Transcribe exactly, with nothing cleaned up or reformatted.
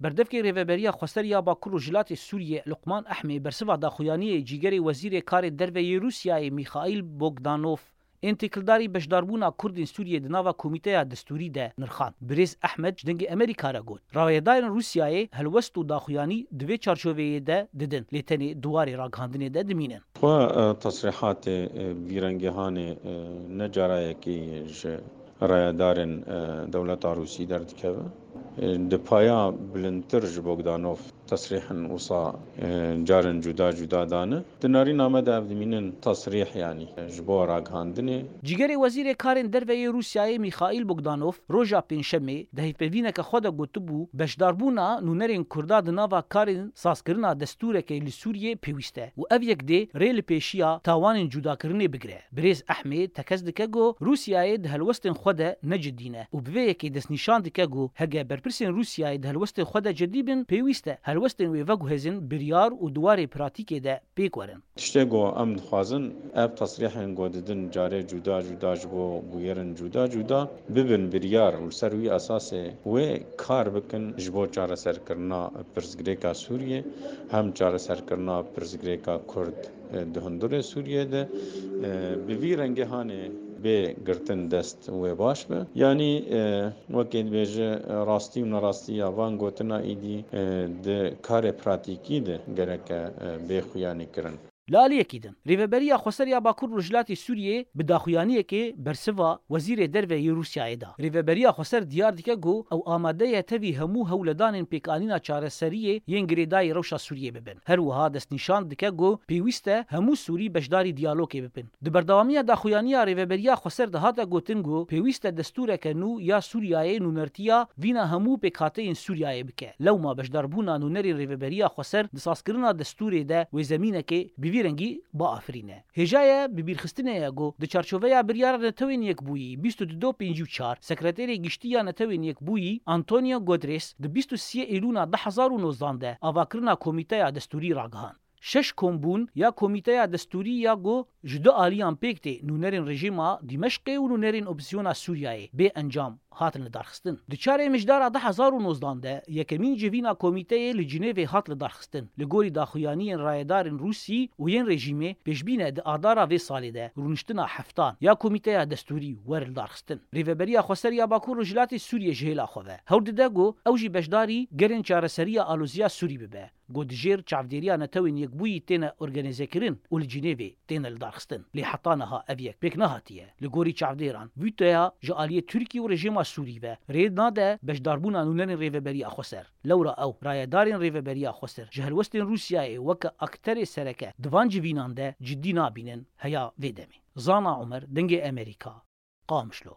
Berdevkê Rêveberiya Xweser ya Bakur Rojhilatê Sûriyê Luqman Ehmê bersiva daxuyaniyê cîgerê Wezîrê Karê Derve yê Rûsyayê Mîxaîl Bogdanov ên têkildarî beşdarbûna Kurdên Sûriyê di nava Komîteya Destûrî de nirxand. Birêz Ehmed ji Dengê Amerîka re got, rayedarên Rûsyayê helwest û daxuyanî di vê çarçoveyê de didin, lê tenê di warê ragihandinê de dimînin. Xwe, e, tesrîhatê, e, vî rengê hanê, e, ne cara yekê ye ji rayedarên, e, dewleta Rûsî derdikeve. E, di paya bilindtir ji Bogdanov tesrîhin wisa, e, carên cuda cuda dane. Di nerîna me de ev dimînin tesrîh, yanî, e, ji bo ragihandinê. Cîgerê Wezîrê Karên Derve yê Rûsyayê Mîxaîl Bogdanov roja Pêncşemê di hevpeyvîneke xwe de gotibû, beşdarbûna nûnerên Kurda di nava karên sazkirina destûrekê li Sûriyê pêwîst e û ev yek dê rê li pêşiya tawanên cudakirinê bigire. Birêz Ehmê tekez dike ku Rûsyayê di helwestên xwe de ne cidî ne û bi vê yekê destnîşan dike ku hege berpirsên Rûsyayê di helwestên xwe de cidî bin, pêwîst e helwestên wê veguhezin biryar û di warê pratîkê de pêk werin. Tiştê ku em dixwazin, ev tesrîhên ku didin carê cuda cuda ji bo bûyerên cuda cuda bibin biryar û li ser wî esasê wê kar bikin ji bo çareserkirina pirsgirêka Sûriyê, hem çareserkirina pirsgirêka Kurd, e, di hundurê Sûriyê de, e, bi vî rengê hanê bê girtin dest wê baş be. Yanî, e, wekê dibêje, e, rastî û nerastiya van gotina êdî, e, di karê pratîkî de gereke, e, bê xuyanî kirin. Li aliyekî din, Rêveberiya Xweser ya Bakur Rojhilatê Sûriyê bi daxuyaniyekê bersiva Wezîrê Derve yê Rûsyayê da. Rêveberiya Xweser diyar dike ku ew amade ye tevî hemû hewledanên pêkanîna çareseriyê yên girêdayî rewşa Sûriyê bibin. Her wiha destnîşan dike ku pêwîst e hemû Sûrî beşdarî diyalogê bibin. Di berdewamiya daxuyaniya Rêveberiya Xweser de hate gotin ku pêwîst e destûreke nû ya Sûriyayê nûnertiya vîna hemû pêkhateyên Sûriyayê bike. Lewma beşdarbûna nûnerên Rêveberiya Xweser di sazkirina destûrê de wê zemînekê bi vî rengî biafirîne. Hêja ye bibîrxistinê ye ku di çarçoveya Biryara Netewên Yekbûyî bîst û du pêncî û çar, Sekreterê Giştî ya Netewên Yekbûyî Antonio Guterres di bîst û sê Îlûna du hezar û nozdan de avakirina Komîteya Destûrî ragihand. Şeş kombûn ya Komîteya Destûrî ya ku ji du aliyan pêk tê, nûnerên rejîma Dîmeşqê û nûnerên opozîsyona Sûriyayê, bê encam hatin lidarxistin. Di çarê Mijdara du hezar û nozdan de yekemîn civîna komîteyê li Cinêvê hat lidarxistin. Li gorî daxuyaniyên rayedarên Rûsî û yên rejîmê, pêşbîn e di adara vê salê de rûniştina heftan ya Komîteya Destûrî were lidarxistin. Rêveberiya Xweser ya Bakur Rojhilatê Sûriyê ji hêla xwe ve hewl dide ku ew jî beşdarî gerên çareseriya aloziya Sûrî bibe. Ku di jêr çavdêriya Netewên Yekbûyî têne organîzekirin û li Cinêvê têne lidarxistin. Lê heta niha ev yek pêk nehatiye. Li gorî çavdêran, vîtoya ji aliyê Tirkî û rejîma Sûrî ve rê nade beşdarbûna nûnerên Rêveberiya Xweser. Lewra ew rayedarên Rêveberiya Xweser ji helwestên Rûsyayê weke akterê sereke di van civînan de cidî nabînin heya vê demê. Zana Omer, Dengê Amerîka, Qamişlo.